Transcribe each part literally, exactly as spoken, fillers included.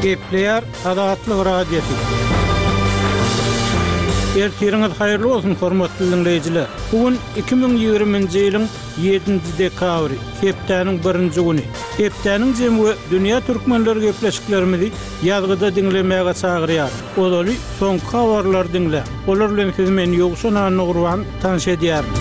Gepleýär Azatlyk Radiosy. Ertiriňiz haýyrly bolsun, hormatly diňleýjiler. Bu gün iki müň ýigriminji ýylyň ýedinji dekabry, hepdäniň birinji güni. Hepdäniň jemi we dünýä türkmenleri gepleşiklerimizi ýazgyda diňlemäge çagyrýar. Ozaly soňky habarlary diňläň. Olar bilen sizi men Ýowşan Annagurban tanyş edýärin.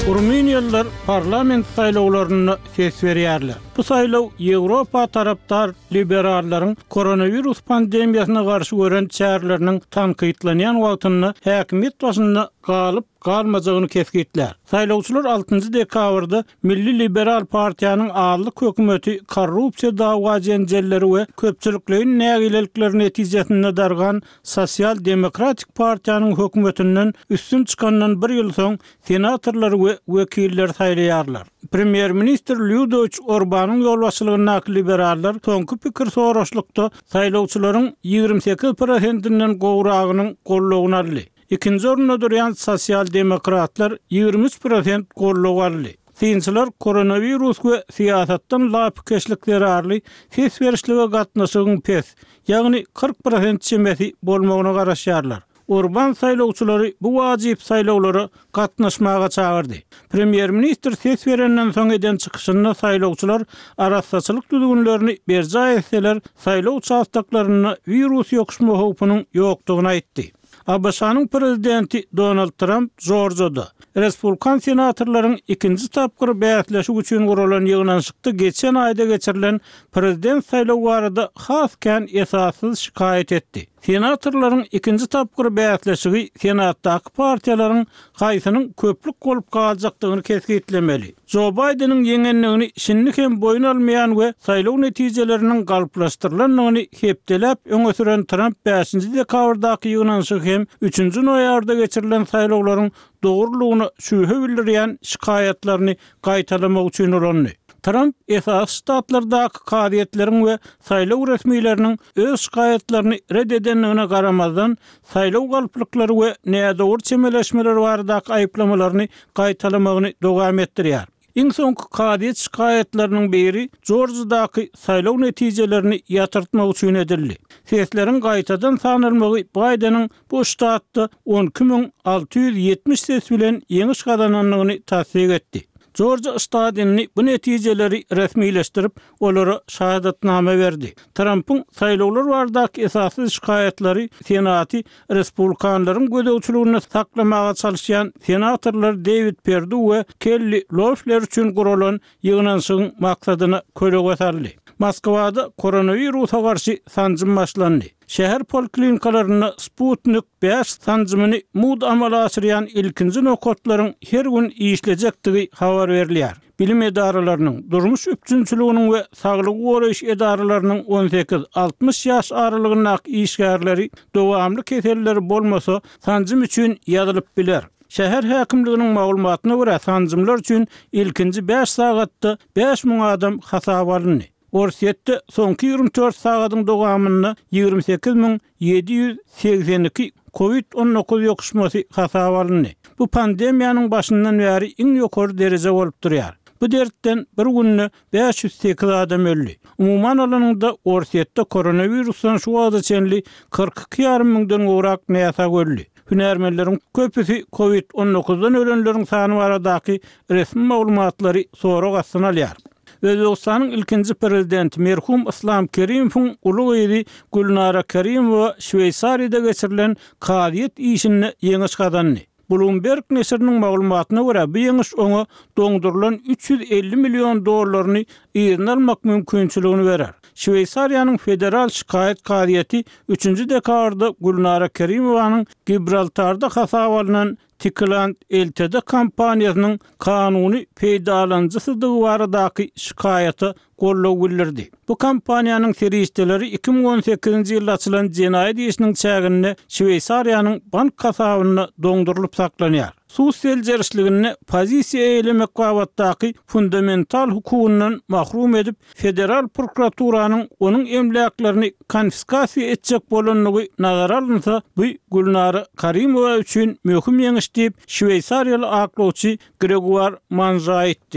Rumyniýalylar parlament saýlawlarynda ses berýärler. Bu saýlaw Ýewropa tarapdar liberallaryň koronawirus pandemiýasyna garşy gören çäreleriniň tankytlanýan wagtynda häkimiýet başynda galyp galmajagyny kesgitlär. Saýlawçylar altynjy dekabrda Milli Liberal partiýanyň azlyk hökümeti korrupsiýa dawa jenjelleri we köpçülikleýin nägilelikler netijesinde dargan Sosial Demokratik partiýanyň hökümetinden üstün çykandan bir ýyl soň senatorlary we wekilleri saýlaýarlar. Premýer-ministr Lýudowiç Orbanyň ýolbaşçylygyndaky liberallar soňky pikir soraşlykda saýlawçylaryň ýigrimi sekiz prosentinden gowragynyň goldawyny aldy. Ikinji orunda durýan sosial demokratlar ýigrimi üç prosent goldaw aldy. Synçylar koronawirus we syýasatdan lapykeçlik zerarly ses berişlige gatnaşygyň pes, ýagny kyrk prosent çemesi bolmagyna garaşýarlar. Orban saýlawçylary bu wajyp saýlawlara gatnaşmaga çagyrdy. Premýer-ministr ses berenden soň eden çykyşynda saýlawçylar arassaçylyk düzgünlerini berjaý etseler, saýlaw uçastoklarynda wirus ýokuşma howpunyň ýokdugyny aýtdy. A B Ş-nyň prezidenti Donald Tramp Jorjada Respublikan senatorlaryň ikinji tapgyr bäsleşik üçin guralan ýygnanyşykda geçen aýda geçirilen prezident saýlawy barada has kän esassyz şikaýat etdi. Senatorlaryň ikinji tapgyr bäsleşigi senatdaky partiýalaryň haýsynyň köplük bolup galjakdygyny kesgitlemeli. Jo Baýdeniň ýeňendigini şindi hem boýun almaýan we saýlaw netijeleriniň galplaşdyrylandygyny hepdeläp öňe süren Tramp bäşinji dekabrdaky ýygnanyşygy hem üçünji noýabrda geçirilen saýlawlaryň dogrulygyna şübhe bildirýän şikaýatlaryny gaýtalamak üçin ulandy. Tramp esasy ştatlardaky kazyýetleriň we saýlaw resmileriniň öz şikaýatlaryny red edendigine garamazdan, saýlaw galplyklary we nädogry çemeleşmeler baradaky aýyplamalaryny gaýtalamagyny dowam etdirýär. Iň soňky kazyýet şikaýatlarynyň biri Jorjadaky saýlaw netijelerini ýatyrtmak üçin edildi. Sesleriň gaýtadan sanalmagy Baýdeniň bu ştatda on iki müň alty ýüz ýetmiş ses bilen ýeňiş gazanandygyny tassyk etdi. Jorja ştadyny bu netijeleri resmileşdirip, olara şahadatnama berdi. Trampyň saýlawlar baradaky esasy şikaýatlary Senaty respublikanlaryň gözegçiliginde saklamaga çalyşýan senatorlar Dewid Perdu we Kelli Loeffler üçin guralan ýygnanyşygyň maksadyna kölege saldy. Moskwada koronawirusa garşy sanjym başlandy. Şäher poliklinikalarynda Sputnik bäş sanjymyny mud amala aşyrýan ilkinji nokatlaryň her gün işlejekdigi habar berilýär. Bilim edaralarynyň, durmuş üpjünçiliginiň we saglygy goraýyş edaralarynyň on sekiz altmyş ýaş aralygyndaky işgärleri dowamly keselleri bolmasa sanjym üçin ýazylyp biler. Şäher häkimliginiň maglumatyna görä sanjymlar üçin ilkinji bäş sagatda bäş müň adam hasaba alyndy. Orsýetde soňky ýigrimi dört sagadyň dowamynda ýigrimi sekiz müň ýedi ýüz segsen iki kovid on dokuz ýokuşmasy hasaba alyndy. Bu pandemiýanyň başyndan bäri iň ýokary dereje bolup durýar. Bu dertden bir günde bäş ýüz sekiz adam öldi. Umuman alanyňda Orsýetde koronavirusdan şu wagta çenli kyrk iki ýarym müňden gowrak näsag öldi. Hünärmenleriň köpüsi kovid on dokuzdan ölenleriň sany baradaky resmi maglumatlary sorag astyna alýar. Özbekistanyň ilkinji prezidenti merhum Islam Kerimowyň uly gyzy Gülnara Kerimowa Şweýsariýada geçirilen kazyýet işinde ýeňiş gazandy. Bloomberg neşiriniň maglumatyna görä, bu ýeňiş oňa doňdurylan üç ýüz elli million dollaryny yzyna almak mümkinçiligini berer. Şweýsariýanyň federal şikaýat kazyýeti üçünji dekabrda Gülnara Kerimowanyň Gibraltarda hasaba alnan Tikland L T D kompaniýasynyň kanuny peýdalanyjysydygy baradaky şikaýata goldaw bildirdi. Bu kompaniýanyň serişdeleri iki müň on sekizinji ýylda açylan jenaýat işiniň çäginde Şweýsariýanyň bank hasabynda doňdurylyp saklanýar. Sud seljerişliginde pozisiýa eýelemek babatdaky fundamental hukugyndan mahrum edip, federal prokuraturanyň onuň emläklerini konfiskasiýa etjek bolandygy nazara alynsa, bu Gülnara Karimowa üçin möhüm ýeňiş diýip, şweýsariýaly aklawçy Greguar Manja aýtdy.